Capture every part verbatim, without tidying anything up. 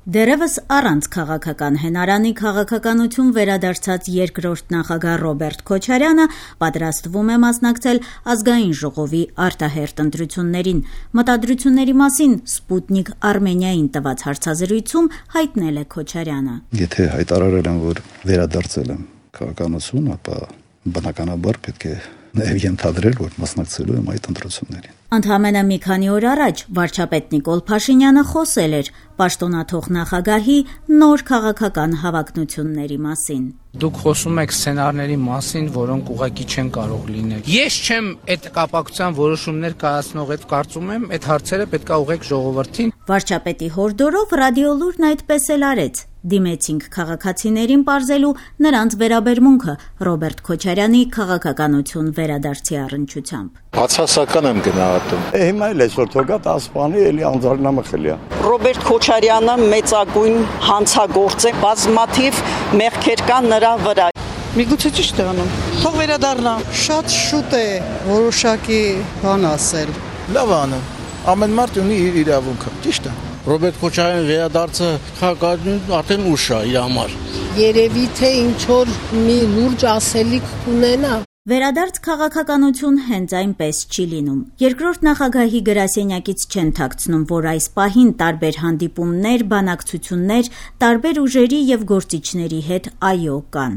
Դեռևս առանց քաղաքական հենարանի քաղաքականություն վերադարձած երկրորդ նախագահ Ռոբերտ Քոչարյանը պատրաստվում է մասնակցել ազգային ժողովի արտահերթ ընտրություններին։ Մտադրությունների մասին Սպուտնիկ Արմենիային տված հարցազրույցում հայտնել է Քոչարյանը. Եթե հայտարարել եմ, որ վերադարձել եմ քաղաքականություն, ապա բնականաբար պետք է նաև ենթադրել, որ մասնակցելու եմ այդ ընտրություններին։ Ընդամենը մի քանի օր առաջ վարչապետ Նիկոլ Փաշինյանը խոսել էր պաշտոնաթող նախագահի նոր քաղաքական հավակնությունների մասին։ Դուք խոսում եք սցենարների մասին, որոնք ուղղակի չեն կարող լինել։ Ես չեմ այդ կապակցության որոշումներ կայացնող, այդ կարծում եմ, այդ հարցերը պետք է ուղղեք ժողովրդին։ Վարչապետի հորդորով Ռադիոլուրն այդպես էլ արեց։ Դիմեցինք քաղաքացիներին պարզելու նրանց վերաբերմունքը Ռոբերտ Քոչարյանի քաղաքականություն վերադարձի առնչությամբ։ Բացասական եմ գնահատում։ Հիմա էլ այսօր թողա տասպանի էլի անձնամխելիա։ Ռոբերտ Քոչարյանը մեծագույն հանցագործ է, բազմաթիվ մեղքեր կան նրա վրա։ Միգուցե ճիշտ է անում։ Թող վերադառնա։ Շատ շուտ է որոշակի բան ասել։ Լավ անում։ Ամեն մարդ ունի իր իրավունքը, ճիշտ է։ Ռոբերտ Քոչարյանի վերադարձը քաղաքականություն արդեն ուշ է իր համար։ Երևի թե ինչ որ մի լուրջ ասելիք կունենա։ Վերադարձ քաղաքականություն հենց այնպես չի լինում։ Երկրորդ նախագահի գրասենյակից չեն թաքցնում, որ այս պահին տարբեր հանդիպումներ, բանակցություններ, տարբեր ուժերի եւ գործիչների հետ այո կան։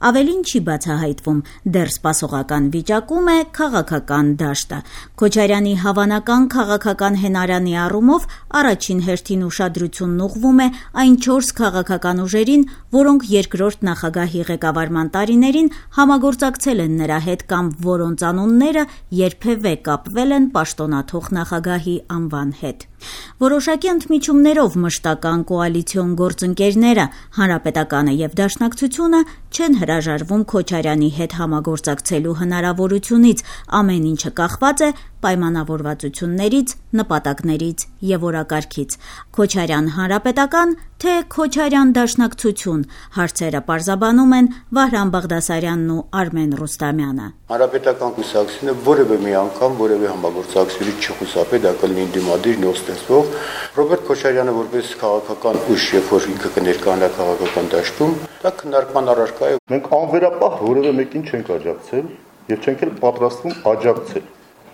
Ավելին չի բացահայտվում, դեռ սպասողական վիճակում է քաղաքական դաշտը։ Քոչարյանի հավանական քաղաքական հենարանի առումով առաջին հերթին ուշադրությունն ուղղվում է այն չորս քաղաքական ուժերին, որոնք երկրորդ նախագահի ղեկավարման տարիներին համագործակցել են նրա հետ կամ որոնց անունները երբևէ կապվել են պաշտոնաթող նախագահի անվան հետ։ Որոշակի ընդմիջումներով մշտական կոալիցիոն գործընկերները, Հանրապետականը եւ Դաշնակցությունը չեն հրաժարվում Քոչարյանի հետ համագործակցելու հնարավորությունից, ամեն ինչը կախված է պայմանավորվածություններից, նպատակներից եւ օրակարգից։ Քոչարյան Հանրապետական, թե Քոչարյան Դաշնակցություն, հարցերը պարզաբանում են Վահրամ Բաղդասարյանն ու Արմեն Ռուստամյանը։ Հանրապետական կուսակցությունը որևէ մի անգամ որևէ համագործակցությունից չխուսափել, դա կլինի դիմադիր նոր ստեղծվող Ռոբերտ Քոչարյանը որպես քաղաքական ուժ, երբ որ ինքը կներկայանա քաղաքական դաշտում, դա քննարկման առարկա է։ Մենք անվերապահ որևէ մեկին չենք աջակցել եւ չենք էլ պատրաստվում աջակցել։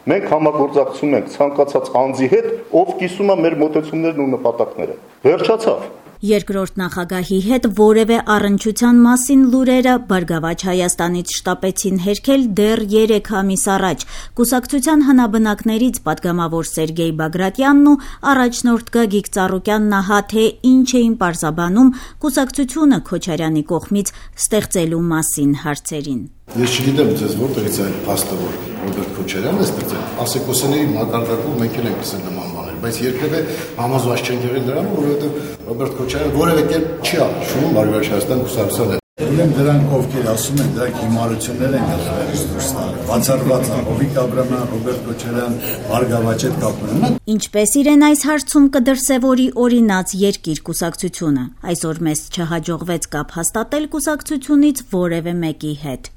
Մենք համագործակցում ենք ցանկացած անձի հետ, ով կիսում է մեր մոտեցումներն ու նպատակները։ Վերջացավ։ Երկրորդ նախագահի հետ որևէ առնչության մասին լուրերը Բարգավաճ Հայաստանից շտապեցին հերքել դեռ երեք ամիս առաջ։ Կուսակցության հնաբնակներից պատգամավոր Սերգեյ Բագրատյանն ու առաջնորդ Գագիկ Ծառուկյանն ահա թե ինչ էին պարզաբանում կուսակցությունը Քոչարյանի կողմից ստեղծելու մասին հարցերին։ Ես չգիտեմ ձեզ որտեղից է փաստը, որ Ռոբերտ Քոչարյանն է ստեղծել։ Ասեկոսների մակարդակում մենք էլ ենք տեսել նման բաներ, բայց երբևէ համոզված չենք եղել դրանում, որովհետև Ռոբերտ Քոչարյանը որևէ կերպ չի աշվում Բարգավաճ Հայաստան կուսակցության հետ։ Ուրեմն դրանք ովքեր ասում են, դրանք հիմարություններ են գալիս դուրս տալու։ Բացառված է Հովիկ Աբրամյան, Ռոբերտ Քոչարյան, Բարգավաճ հետ կապ ունեն։ Ինչպես իրեն այս հարցում կդրսևորի օրինաց Երկիր կուսակցությունը։ Այսօր մեզ չհաջողվեց կապ հաստատել կուսակցությունից որևէ մեկի հետ։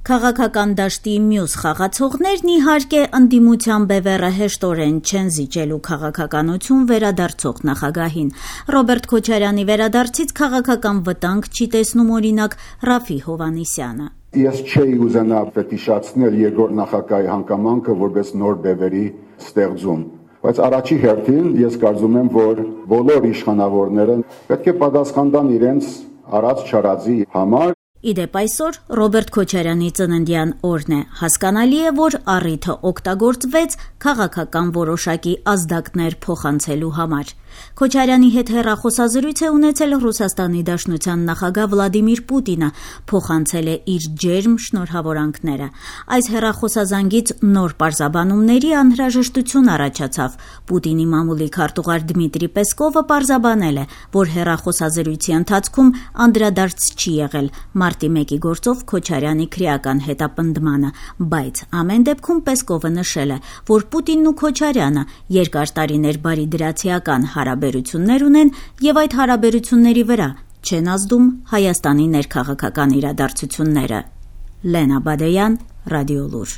Քաղաքական դաշտի մյուս խաղացողներն իհարկե ընդդիմության բևեռը հեշտորեն չեն զիջելու քաղաքականություն վերադարձող նախագահին։ Ռոբերտ Քոչարյանի վերադարձից քաղաքական վտանգ չի տեսնում օրինակ Ռաֆի Հովհաննիսյանը։ Ես չէի ուզենա ֆետիշացնել երկրորդ նախագահի հանգամանքը որպես նոր բևերի ստեղծում։ Բայց առաջի հերթին ես կարծում եմ, որ բոլոր իշխանավորները պետք է պատասխան տան իրենց արած չարածի համար։ Իդեպ այսօր Ռոբերտ Քոչարյանի ծննդյան օրն է։ Հասկանալի է, որ առիթը օգտագործվեց քաղաքական որոշակի ազդակներ փոխանցելու համար։ Քոչարյանի հետ հեռախոսազրույց է ունեցել Ռուսաստանի Դաշնության նախագահ Վլադիմիր Պուտինը, փոխանցել է իր ջերմ շնորհավորանքները։ Այս հեռախոսազանգից նոր պարզաբանումների անհրաժեշտություն առաջացավ։ Պուտինի մամուլի քարտուղար Դմիտրի Պեսկովը պարզաբանել է, որ հեռախոսազրույցի ընթացքում անդրադարձ չի եղել մարտի մեկի գործով Քոչարյանի քրեական հետապնդմանը, բայց ամեն դեպքում Պեսկովը նշել է, որ Պուտինն ու Քոչարյանը երկար տարիներ բարիդրացիական հարաբերություններ ունեն եւ այդ հարաբերությունների վրա չեն ազդում Հայաստանի ներքաղաքական իրադարձությունները։ Լենա Բադեյան, Ռադիոլուր։